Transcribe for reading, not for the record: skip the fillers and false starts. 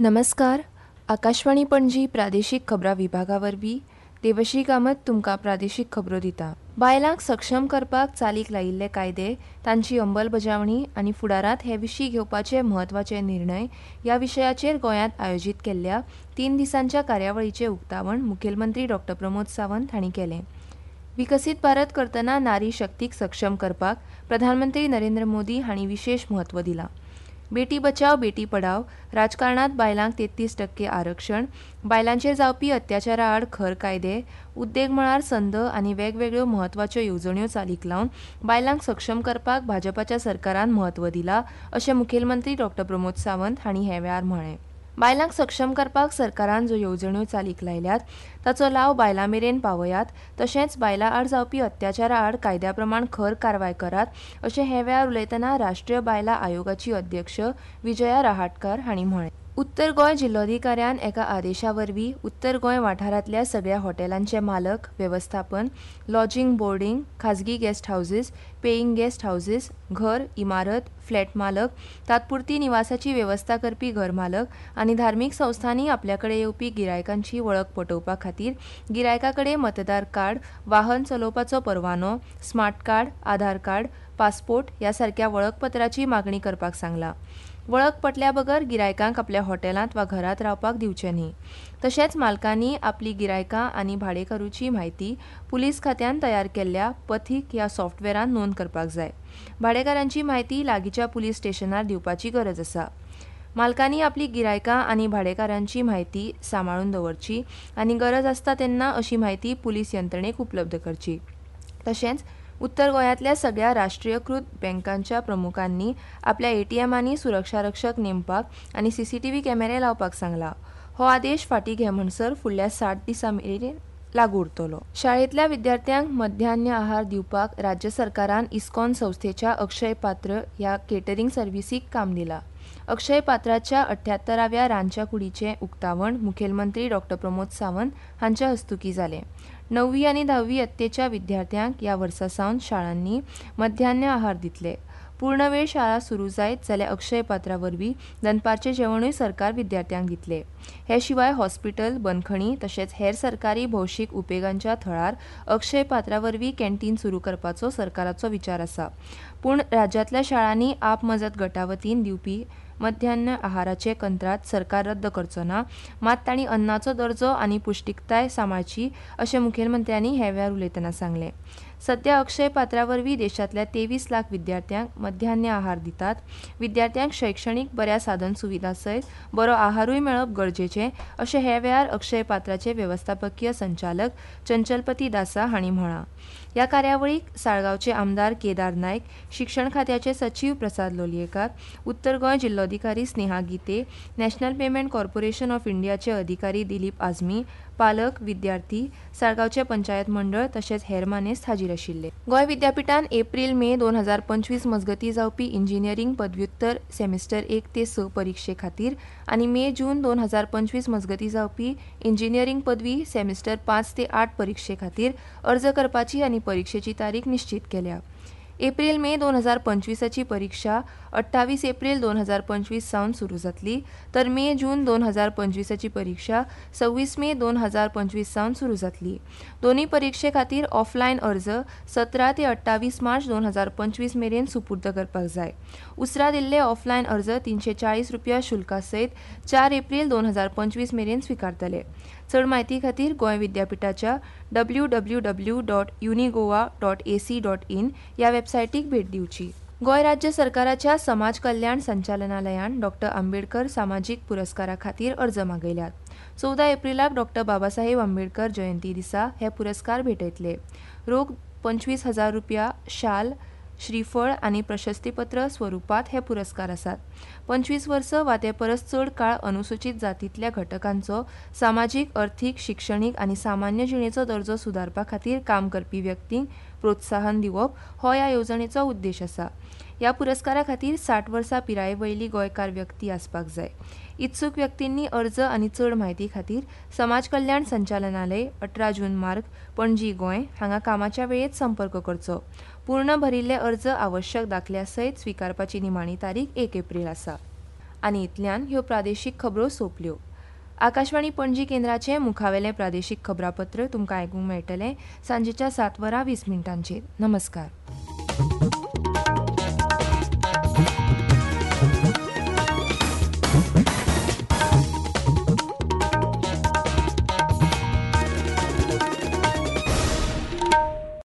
नमस्कार. आकाशवाणी पणजी प्रादेशीक खबरां विभागा वरवीं देवश्री कामत तुमकां प्रादेशीक खबरो दिता. बायलांक सक्षम करपाक चालीक लायिल्ले कायदे, तांची अंमलबजावणी आनी फुडारांत हे विशीं घेवपाचे म्हत्वाचे निर्णय ह्या विशयाचेर गोंयांत आयोजीत केल्ल्या 3 दिसांच्या कार्यावळीचें उक्तावण मुखेलमंत्री डॉक्टर प्रमोद सावंत हांणी केलें. विकसीत भारत करतना नारी शक्तीक सक्षम करपाक प्रधानमंत्री नरेंद्र मोदी हांणी विशेश म्हत्व दिलां. बेटी बचाव बेटी पढाव, राजकारणात बायलांक 33% आरक्षण, बायलांचेर जावपी अत्याचारा आड खर कायदे, उद्देग मळार संद आनी वेगवेगळ्यो म्हत्वाच्यो येवजण्यो चालीक लावन बायलांक सक्षम करपाक भाजपाच्या सरकारान म्हत्व दिलां अशें मुखेलमंत्री डॉक्टर प्रमोद सावंत हांणी हे वेळार म्हळें. बायलांक सक्षम करपाक सरकारान ज्यो येवजण्यो चालीक लायल्यात ताचो लाव बायलां मेरेन पावयात, तशेंच बायलां आड जावपी अत्याचारा आड कायद्या प्रमाण खर कारवाय करात अशें हे वेळार उलयतना राष्ट्रीय बायलां आयोगाची अध्यक्ष विजया रहाटकार हांणी म्हळें. उत्तर गोंय जिल्लोधिकाऱ्यान एका आदेशा वरवीं उत्तर गोंय वाठारांतल्या सगळ्या हॉटेलांचे मालक, वेवस्थापन, लॉजिंग बोर्डिंग, खाजगी guest houses, paying guest houses, घर, इमारत, फ्लॅट मालक, तात्पुरती निवासाची वेवस्था करपी घर मालक आनी धार्मीक संस्थांनी आपल्या कडेन येवपी गिरायकांची वळख पटोवपा खातीर गिरायका कडेन मतदार कार्ड, वाहन चलोवपाचो परवानो, smart card, Aadhaar card, passport ह्या सारक्या वळखपत्राची मागणी करपाक सांगलां. वळख पटल्या बगर गिरायकांक आपल्या हॉटेलांत वा घरांत रावपाक दिवचें न्ही. तशेंच मालकांनी आपली गिरायकां आनी भाडेकारूची म्हायती पुलीस खात्यान तयार केल्ल्या पथीक ह्या सॉफ्टवेरान नोंद करपाक जाय. भाडेकारांची म्हायती लागींच्या पुलीस स्टेशनार दिवपाची गरज आसा. मालकांनी आपली गिरायकां आनी भाडेकारांची म्हायती सांबाळून दवरची आनी गरज आसता तेन्ना अशी म्हायती पुलीस यंत्रणेक उपलब्ध करची. तशेंच उत्तर गोंयांतल्या सगळ्या राष्ट्रीयकृत बँकांच्या प्रमुखांनी आपल्या एटीएमांनी सुरक्षा रक्षक नेमपाक आनी सीसीटीव्ही कॅमेरे लावपाक सांगला. हो आदेश फाटीं घे म्हणसर फुडल्या 60 दिसां मेरेन लागू उरतलो. शाळेंतल्या विद्यार्थ्यांक मध्यान्ह आहार दिवपाक राज्य सरकारान इस्कॉन संस्थेच्या अक्षय पात्र ह्या केटरिंग सर्व्हिसीक काम दिलां. अक्षय पात्राच्या 78व्या रांदच्या कुडीचें उक्तावण मुखेलमंत्री डॉक्टर प्रमोद सावंत हांच्या हस्तुकीं जालें. 9वी आनी 10वी यत्तेच्या विद्यार्थ्यांक ह्या वर्सा सावन शाळांनी मध्यान्ह आहार दितले. पूर्ण वेळ शाळा सुरू जायत जाल्यार अक्षय पात्रा वरवीं दनपारचें जेवणूय सरकार विद्यार्थ्यांक दितले. हे शिवाय हॉस्पिटल, बंदखणी तशेंच हेर सरकारी भौशीक उपेगांच्या थळार अक्षय पात्रा वरवीं कॅन्टीन सुरू करपाचो सरकाराचो विचार आसा. पूण राज्यांतल्या शाळांनी आप मजत गटा वतीन दिवपी मध्यान्ह आहाराचें कंत्राट सरकार रद्द करचो ना, मात तांणी अन्नाचो दर्जो आनी पुश्टीकताय सांबाळची अशें मुखेलमंत्र्यांनी हे वेळार उलयतना सांगलें. सध्या अक्षय पात्रा वरवीं देशांतल्या 23 लाख विद्यार्थ्यांक मध्यान्ह आहार दितात. विद्यार्थ्यांक शैक्षणीक बऱ्या साधन सुविधा सयत बरो आहारूय मेळप गरजेचें अशें हे वेळार अक्षय पात्राचे वेवस्थापकीय संचालक चंचलपती दासा हांणी म्हळां. ह्या कार्यावळीक साळगांवचे आमदार केदार नायक, शिक्षण खात्याचे सचीव प्रसाद लोलयेकार, उत्तर Goa जिल्लोधिकारी Sneha Gite, national payment corporation of इंडियाचे अधिकारी दिलीप आझमी, पालक, विद्यार्थी, साळगांवचे पंचायत मंडळ तशेंच हेर मानेस्त हाजीर आशिल्ले. गोंय विद्यापिठान एप्रील मे 2025 मजगतीं जावपी इंजिनियरींग पदव्युत्तर सेमिस्टर 1 ते 6 परिक्षे खातीर आनी मे जून 2025 मजगतीं जावपी इंजिनियरींग पदवी सेमिस्टर 5 ते 8 परिक्षे खातीर अर्ज करपाची आनी परिक्षेची तारीख निश्चीत केल्या. एप्रील मे 2025ची परिक्षा 28 एप्रील 2025 सावन सुरू जातली, तर मे जून 2025ची परिक्षा 26 मे 2025 सावन सुरू जातली. दोनूय परिक्षे खातीर ऑफलायन अर्ज 17 ते 28 मार्च 2025 मेरेन सुपूर्द करपाक जाय. उसरा दिल्ले ऑफलायन अर्ज 340 रुपया शुल्का सयत 4 एप्रील 2025 मेरेन स्विकारतले. चड म्हायती खातीर गोंय विद्यापिठाच्या www.unigoa.ac.in ह्या वेबसायटीक भेट दिवची. गोंय राज्य सरकाराच्या समाज कल्याण संचालनालयान डॉक्टर आंबेडकर सामाजीक पुरस्कारा खातीर अर्ज मागयल्यात. 14 एप्रिलाक डॉक्टर बाबासाहेब आंबेडकर जयंती दिसा हे पुरस्कार भेटयतले. रोख 25,000 रुपया, शाल, श्रीफळ आनी प्रशस्तीपत्र स्वरुपांत हे पुरस्कार आसात. 25 वर्सां वा ते परस चड काळ अनुसूचीत जातींतल्या घटकांचो सामाजीक, अर्थीक, शिक्षणीक आनी सामान्य जिणेचो दर्जो सुदारपा खातीर काम करपी व्यक्तींक प्रोत्साहन दिवप हो ह्या येवजणेचो उद्देश आसा. ह्या पुरस्कारा खातीर 60 वर्सां पिराये वयली गोंयकार व्यक्ती आसपाक जाय. इत्सूक व्यक्तींनी अर्ज आनी चड म्हायती खातीर समाज कल्याण संचालनालय, 18 जून मार्ग, पणजी, गोंय हांगा कामाच्या वेळेत संपर्क करचो. पूर्ण भरिल्ले अर्ज आवश्यक दाखल्या सयत स्विकारपाची निमाणी तारीख 1 एप्रील आसा. आनी इतल्यान ह्यो प्रादेशीक खबरो सोंपल्यो. आकाशवाणी पणजी केंद्राचें मुखावेलें प्रादेशीक खबरांपत्र तुमकां आयकूंक मेळटलें सांजेच्या सात वरां 20 मिनटांचेर. नमस्कार.